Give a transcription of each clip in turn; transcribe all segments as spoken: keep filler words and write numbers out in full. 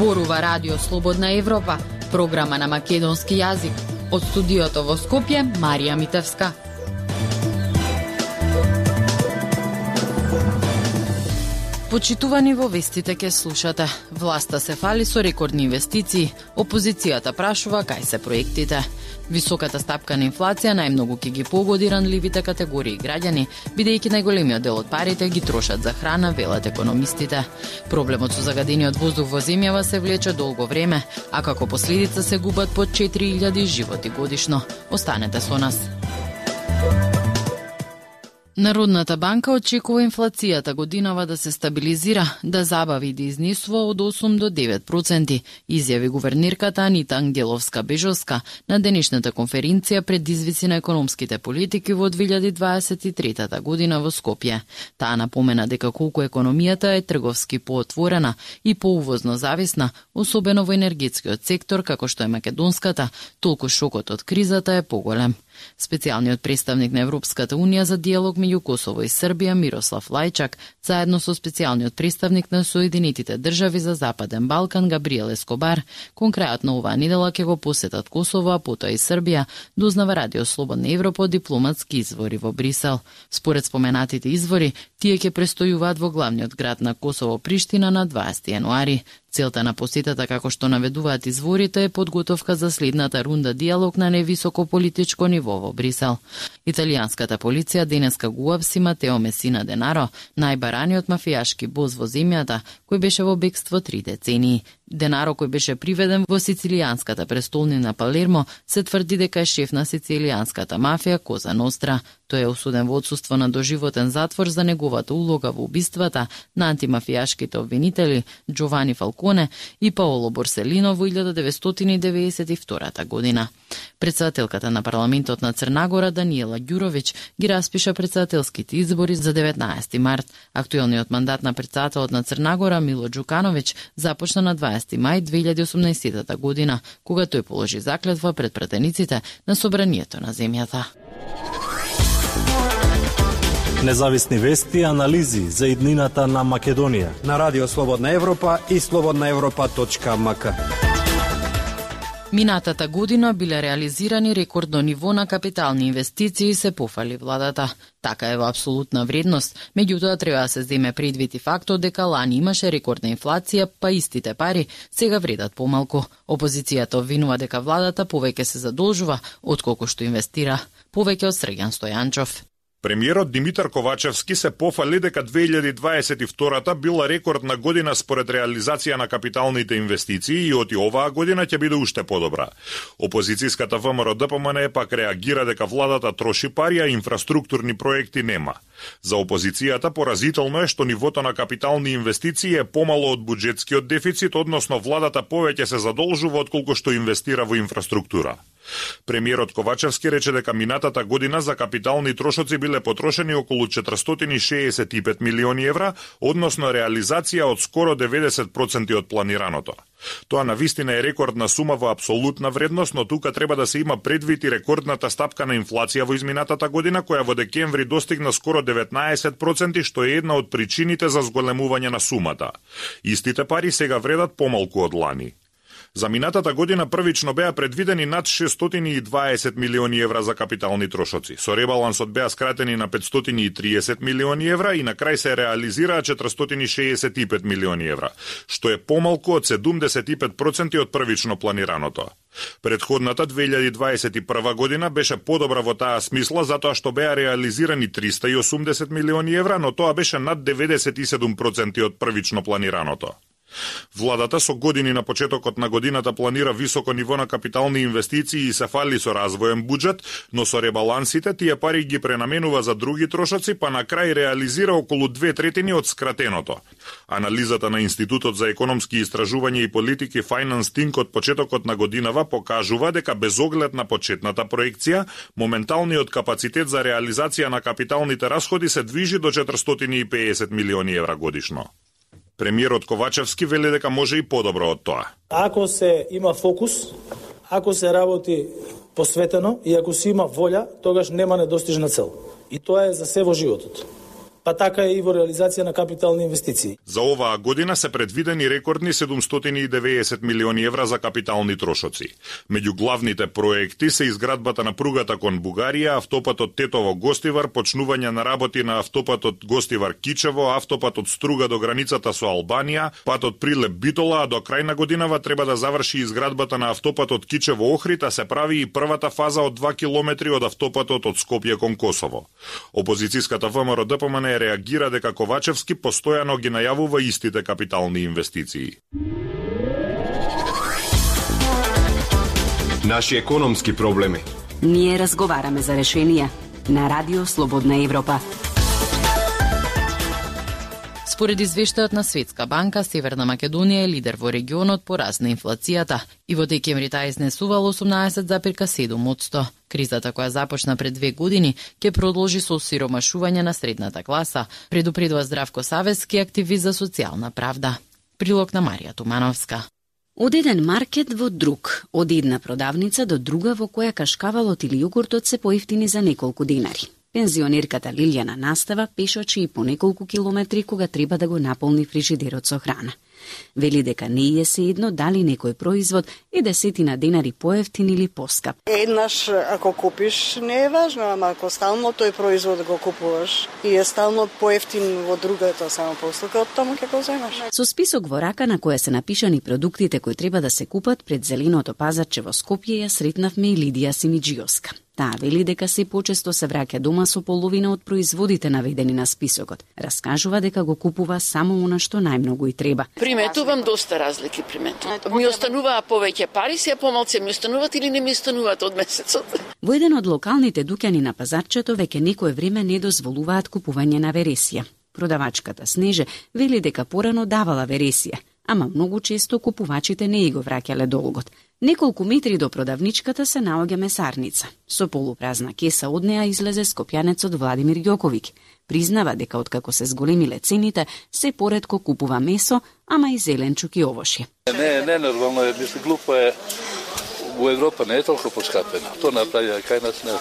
Зборува Радио Слободна Европа, програма на македонски јазик. Од студиото во Скопје, Марија Митевска. Почитувани, во вестите ке слушате. Власта се фали со рекордни инвестиции, опозицијата прашува кај се проектите. Високата стапка на инфлација најмногу ќе ги погоди ранливите категории граѓани, бидејќи најголемиот дел од парите ги трошат за храна, велат економистите. Проблемот со загадениот воздух во земјава се влече долго време, а како последица се губат по четири илјади животи годишно. Останете со нас. Народната банка очекува инфлацијата годинава да се стабилизира, да забави и да изнесува од осум до девет проценти, изјави гувернерката Анита Ангеловска-Бежовска на денешната конференција пред извици на економските политики во две илјади дваесет и трета година во Скопје. Таа напомена дека колку економијата е трговски поотворена и поувозно зависна, особено во енергетскиот сектор како што е македонската, толку шокот од кризата е поголем. Специјалниот представник на Европската унија за диалог меѓу Косово и Србија Мирослав Лајчак, заедно со специјалниот представник на Соединетите држави за Западен Балкан Габриел Ескобар, конкретно оваа недела ќе го посетат Косово, а потоа и Србија, дознава Радио Слободна Европа од дипломатски извори во Брисел. Според споменатите извори, тие ќе престојуваат во главниот град на Косово Приштина на дваесети јануари. Целта на посетата, како што наведуваат изворите, е подготовка за следната рунда диалог на невисоко политичко ниво во Брисел. Италијанската полиција денеска го уапси Матео Месина Денаро, најбараниот мафијашки бос во земјата, кој беше во бегство три децении. Денаро, кој беше приведен во сицилијанската престолнина Палермо, се тврди дека е шеф на сицилијанската мафија Коза Ностра. Тој е осуден во отсуство на доживотен затвор за неговата улога во убиствата на антимафијашките обвинители Джовани Фалконе и Паоло Борселино во илјада деветстотини деветдесет и втора година. Председателката на парламентот на Црна Гора Даниела Ѓуровиќ ги распиша председателските избори за деветнаесети март. Актуелниот мандат на председателот на Црна Гора Мило Ѓукановиќ започна на дваесети мај две илјади и осумнаесета година, кога тој положи заклетва пред пратениците на собранието на земјата. Независни вести и анализи за иднината на Македонија на Радио Слободна Европа и слободна европа точка ем ка. Минатата година биле реализирани рекордно ниво на капитални инвестиции, се пофали владата. Така е во апсолутна вредност, меѓутоа треба да се земе предвид и фактот дека лани имаше рекордна инфлација, па истите пари сега вредат помалку. Опозицијата обвинува дека владата повеќе се задолжува отколку што инвестира. Повеќе од Срѓан Стојанчов. Премиерот Димитар Ковачевски се пофали дека две илјади дваесет и втора била рекордна година според реализација на капиталните инвестиции и од и оваа година ќе биде уште подобра. Опозицијската ВМРО-ДПМН пак реагира дека владата троши пари, а инфраструктурни проекти нема. За опозицијата поразително е што нивото на капитални инвестиции е помало од буџетскиот дефицит, односно владата повеќе се задолжува отколку што инвестира во инфраструктура. Премиерот Ковачевски рече дека минатата година за капитални трошоци биле потрошени околу четиристотини шеесет и пет милиони евра, односно реализација од скоро деветдесет проценти од планираното. Тоа навистина е рекордна сума во апсолутна вредност, но тука треба да се има предвид и рекордната стапка на инфлација во изминатата година, која во декември достигна скоро деветнаесет проценти, што е една од причините за зголемување на сумата. Истите пари сега вредат помалку од лани. За минатата година првично беа предвидени над шестстотини и дваесет милиони евра за капитални трошоци. Со ребалансот беа скратени на петстотини и триесет милиони евра и на крај се реализираа четиристотини шеесет и пет милиони евра, што е помалку од седумдесет и пет проценти од првично планираното. Предходната две илјади дваесет и прва година беше подобра во таа смисла затоа што беа реализирани триста и осумдесет милиони евра, но тоа беше над деветдесет и седум проценти од првично планираното. Владата со години на почетокот на годината планира високо ниво на капитални инвестиции и се фали со развоен буџет, но со ребалансите тие пари ги пренаменува за други трошоци, па на крај реализира околу две третини од скратеното. Анализата на Институтот за економски истражувања и политики Finance Think од почетокот на годинава покажува дека без оглед на почетната проекција, моменталниот капацитет за реализација на капиталните расходи се движи до четиристотини и педесет милиони евра годишно. Премиерот Ковачевски вели дека може и подобро од тоа. Ако се има фокус, ако се работи посветено и ако се има волја, тогаш нема недостижна цел. И тоа е за се во животот. па така и во реализација на капитални инвестиции. За оваа година се предвидени рекордни седумстотини и деветдесет милиони евра за капитални трошоци. Меѓу главните проекти се изградбата на пругата кон Бугарија, автопатот Тетово-Гостивар, почнување на работи на автопатот Гостивар-Кичево, автопатот Струга до границата со Албанија, патот Прилеп-Битола, а до крај на годинава треба да заврши изградбата на автопатот Кичево-Охрид, а се прави и првата фаза од два километри од автопатот од Скопје кон Косово. Опозицијската ВМРО Д П М Н реагира дека Ковачевски постојано ги најавува истите капитални инвестиции. Наши економски проблеми. Ние разговараме за решенија на Радио Слободна Европа. Според извештајот на Светска банка, Северна Македонија е лидер во регионот по раст на инфлацијата и во декември таа изнесувала осумнаесет зарез седум одсто. Кризата која започна пред две години ќе продолжи со осиромашување на средната класа, предупредува Здравко Савески, активист за социјална правда. Прилог на Марија Тумановска. Од еден маркет во друг, од една продавница до друга во која кашкавалот или јогуртот се поевтини за неколку денари. Пензионерката Лилјана настава пешачи и по неколку километри кога треба да го наполни фрижидерот со храна. Вели дека не е се едно дали некој производ е десетина денари поевтин или поскап. Еднаш ако купиш не е важно, ама ако стално тој производ го купуваш и е стално поевтин во другата само постилка, од таму ќе го земаш. Со список во рака на која се напишани продуктите кои треба да се купат пред зеленото пазарче во Скопје ја сретнавме и Лидија Симиџиовска. Таа вели дека се почесто се враќа дома со половина од производите наведени на списокот. Раскажува дека го купува само она што најмногу и треба. Приметувам доста разлики приметувам. Ми остануваа повеќе пари, се помалце ми остануваат или не ми остануваат од месецот. Во еден од локалните дуќани на пазарчето веќе некое време не дозволуваат купување на вересија. Продавачката Снеже вели дека порано давала вересија, ама многу често купувачите не и го враќале долгот. Неколку метри до продавничката се наоѓа месарница. Со полупразна кеса од неа излезе скопјанецот Владимир Ѓоковиќ. Признава дека откако се зголемиле цените, се поретко купува месо, ама и зеленчук и овошје. Не, не нормално е, мисли глупо е. Во Европа не е толку поскапено. Тоа направија кај нас не,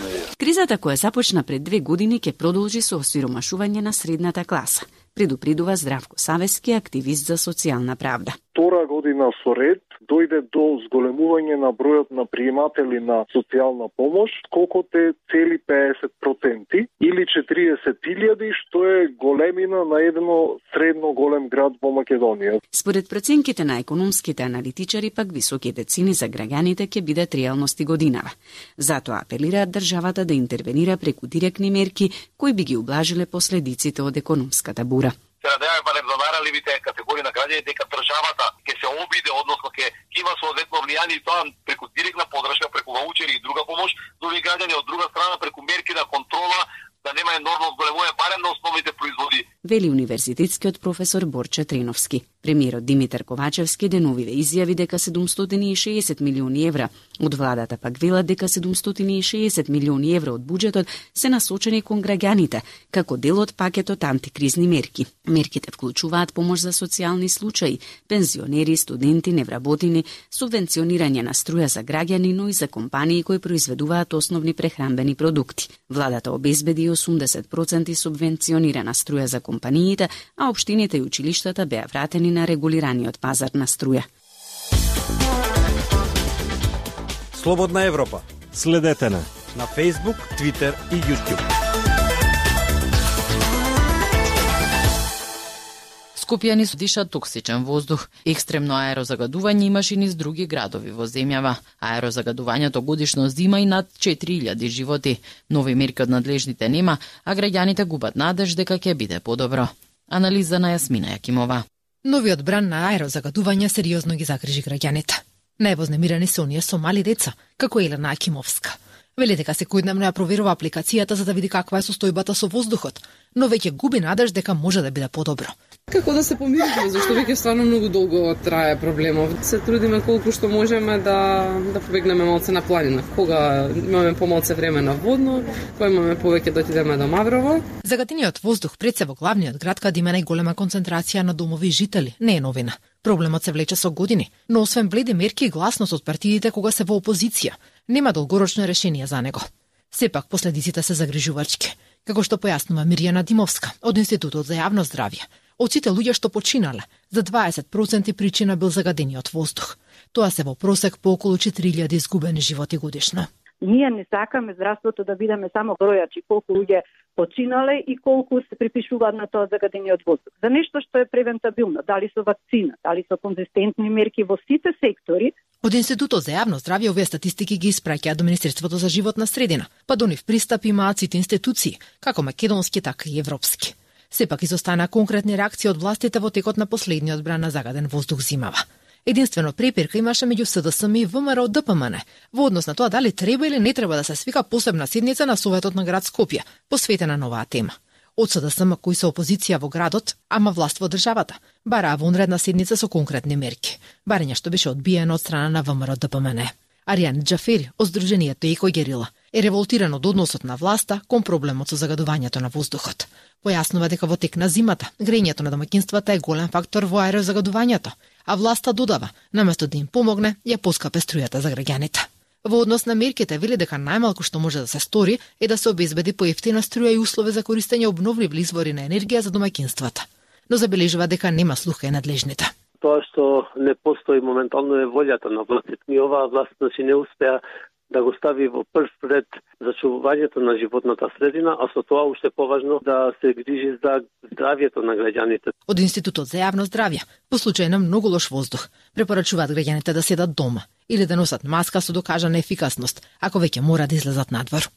не е. Кризата која започна пред две години ќе продолжи со осиромашување на средната класа, предупредува Здравко Савески, активист за социјална правда. Втора година со ред дојде до зголемување на бројот на приематели на социјална помош, колку те цели педесет проценти или четириесет илјади, што е големина на едно средно голем град во Македонија. Според проценките на економските аналитичари, пак високите цени за граѓаните ќе бидат реалности годинава. Затоа апелираат државата да интервенира преку директни мерки кои би ги ублажиле последиците од економската бура. Се надеваме барем за најранливите категории на граѓани дека државата ќе се обиде, односно ќе има соодветно влијание и тоа преку директна подршка, преку ваучери и друга помош, до овие граѓани, од друга страна преку мерки на контрола да нема енормно зголемување барем на основните производи. Вели универзитетскиот професор Борче Треновски. Премиерот Димитар Ковачевски деновиве изјави дека седумстотини и шеесет милиони евра од владата пак велат дека седумстотини и шеесет милиони евра од буџетот се насочени кон граѓаните, како дел од пакетот антикризни мерки. Мерките вклучуваат помош за социјални случаи, пензионери, студенти, невработени, субвенционирање на струја за граѓани, но и за компании кои произведуваат основни прехранбени продукти. Владата обезбеди осумдесет проценти субвенционирана струја за компаниите, а општините и училиштата беа вратени на регулираниот пазар на струја. Слободна Европа. Следете на на Facebook, Twitter и YouTube. Скопјани дишат токсичен воздух. Екстремно аерозагадување имаше и низ други градови во земјава. Аерозагадувањето годишно зима и над четири илјади животи. Нови мерки од надлежните нема, а граѓаните губат надеж дека ќе биде подобро. Анализа на Јасмина Јакимова. Новиот бран на аерозагадување сериозно ги загрижи граѓаните. Највознемирани се оние со мали деца, како Елена Акимовска. Вели дека секојдневно ја проверува апликацијата за да види каква е состојбата со воздухот, но веќе губи надеж дека може да биде подобро. Како да се помируваме, зашто веќе стварно многу долго трае проблемот. Се трудиме колку што можеме да да побегнеме малце на планина. Кога имаме помалце време на водно, кога имаме повеќе да отидеме до Маврово. Загатениот воздух пред се во главниот град каде има најголема концентрација на домови и жители не е новина. Проблемот се влече со години, но освен бледи мерки и гласност од партиите кога се во опозиција, нема долгорочно решение за него. Сепак последиците се загрижувачки. Како што појаснува Мирјана Димовска од Институтот за јавно здравје, од сите луѓе што починале, за дваесет проценти причина бил загадениот воздух. Тоа се во просек по околу четири илјади изгубени животи годишно. Ние не сакаме здравството да бидеме само бројачи колку луѓе починале и колку се припишуваат на тоа загадениот воздух. За нешто што е превентабилно, дали со вакцина, дали со конзистентни мерки во сите сектори. Од Институтот за јавно здравје овие статистики ги испраќаат до Министерството за животна средина, па до нив пристап имаат сите институции, како македонски, така и европски. Сепак изостана конкретни реакции од властите во текот на последниот бран на загаден воздух зимава. Единствено препирка имаше меѓу СДСМ и ВМРО ДПМН во однос на тоа дали треба или не треба да се свика посебна седница на Советот на град Скопје, посветена на оваа тема. Од СДСМ кои се опозиција во градот, ама власт во државата, бараа вонредна седница со конкретни мерки, барење што беше одбиено од страна на ВМРО ДПМН. Аријан Џафери од Сдруженијето Еко Герила е револтиран од односот на власта кон проблемот со загадувањето на воздухот. Појаснува дека во тек на зимата грејењето на домаќинствата е голем фактор во аерозагадувањето, а власта додава, наместо да им помогне, ја поскапе струјата за граѓаните. Во однос на мерките вели дека најмалку што може да се стори е да се обезбеди поевтина струја и услови за користење обновливи извори на енергија за домаќинствата. Но забележува дека нема слуха и надлежните. Тоа што не постои моментално е волјата на властите. И оваа власт значи не успеа да го стави во прв ред зачувувањето на животната средина, а со тоа уште поважно да се грижи за здравјето на граѓаните. Од Институтот за јавно здравје, по случај на многу лош воздух, препорачуваат граѓаните да седат дома или да носат маска со докажана ефикасност, ако веќе мора да излезат надвор.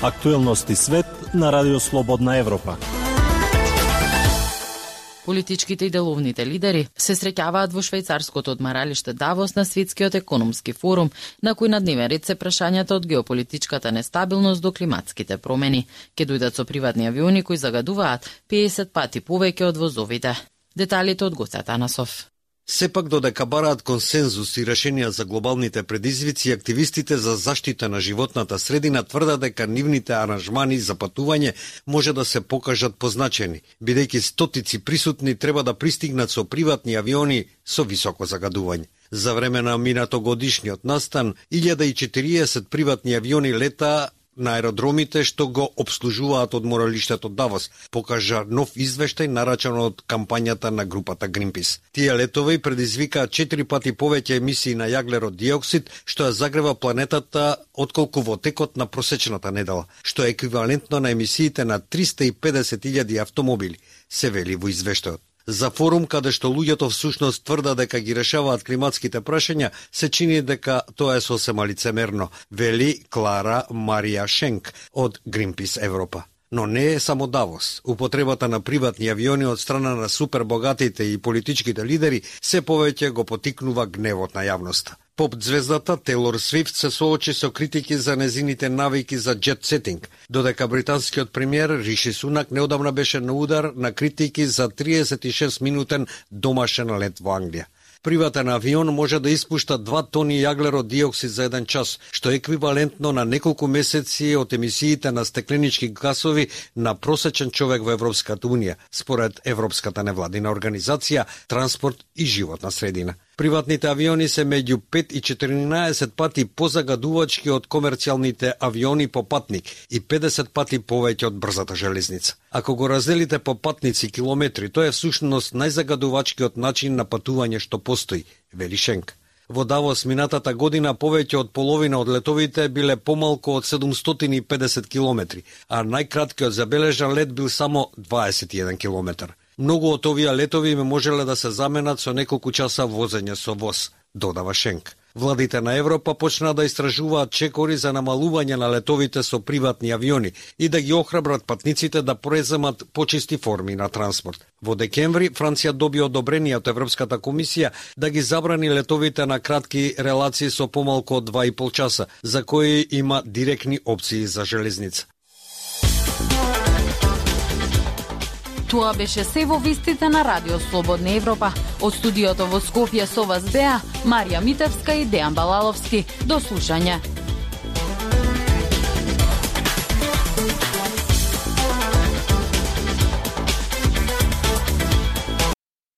Актуелности свет на Радио Слободна Европа. Политичките и деловните лидери се среќаваат во швајцарското одмаралиште Давос на Светскиот економски форум, на кој на дневен ред се прашањата од геополитичката нестабилност до климатските промени. Ке дојдат со приватни авиони кои загадуваат педесет пати повеќе од возовите. Деталите од Гоце Атанасов. Сепак додека бараат консензус и решенија за глобалните предизвици, активистите за заштита на животната средина тврдат дека нивните аранжмани за патување може да се покажат позначени, бидејќи стотици присутни треба да пристигнат со приватни авиони со високо загадување. За време на минатогодишниот настан, илјада и четириесет приватни авиони лета на аеродромите што го обслужуваат одморалиштето Давос, покажа нов извештај нарачан од кампањата на групата Greenpeace. Тие летови предизвикаат четири пати повеќе емисии на јаглерод диоксид, што ја загрева планетата отколку во текот на просечната недела, што е еквивалентно на емисиите на триста и педесет илјади автомобили, се вели во извештајот. За форум каде што луѓето всушност тврда дека ги решаваат климатските прашања, се чини дека тоа е сосема лицемерно, вели Клара Марија Шенк од Greenpeace Европа. Но не е само Давос. Употребата на приватни авиони од страна на супербогатите и политичките лидери се повеќе го потикнува гневот на јавноста. Поп звездата Тейлор Свифт се соочи со критики за незините навики за джет сетинг, додека британскиот премиер Риши Сунак неодамна беше на удар на критики за триесет и шест минутен домашен лет во Англија. Приватен авион може да испушта два тони јаглерод диоксид за еден час, што е еквивалентно на неколку месеци од емисиите на стекленички гасови на просечен човек во Европската унија, според Европската невладина организација Транспорт и животна средина. Приватните авиони се меѓу пет и четиринаесет пати позагадувачки од комерцијалните авиони по патник и педесет пати повеќе од брзата железница. Ако го разделите по патници километри, тоа е всушност најзагадувачкиот начин на патување што постои, вели Шенк. Во Давос минатата година повеќе од половина од летовите биле помалку од седумстотини и педесет километри, а најкраткиот забележан лет бил само дваесет и еден километар. Многу од овие летови ме можеле да се заменат со неколку часа возење со воз, додава Шенк. Владите на Европа почна да истражуваат чекори за намалување на летовите со приватни авиони и да ги охрабрат патниците да преземат почисти форми на транспорт. Во декември Франција доби одобрение од Европската комисија да ги забрани летовите на кратки релации со помалку од два и пол часа, за кои има директни опции за железница. Тоа беше се во вестите на Радио Слободна Европа. Од студиото во Скопје со вас беа Марија Митевска и Дејан Балаловски. До слушање.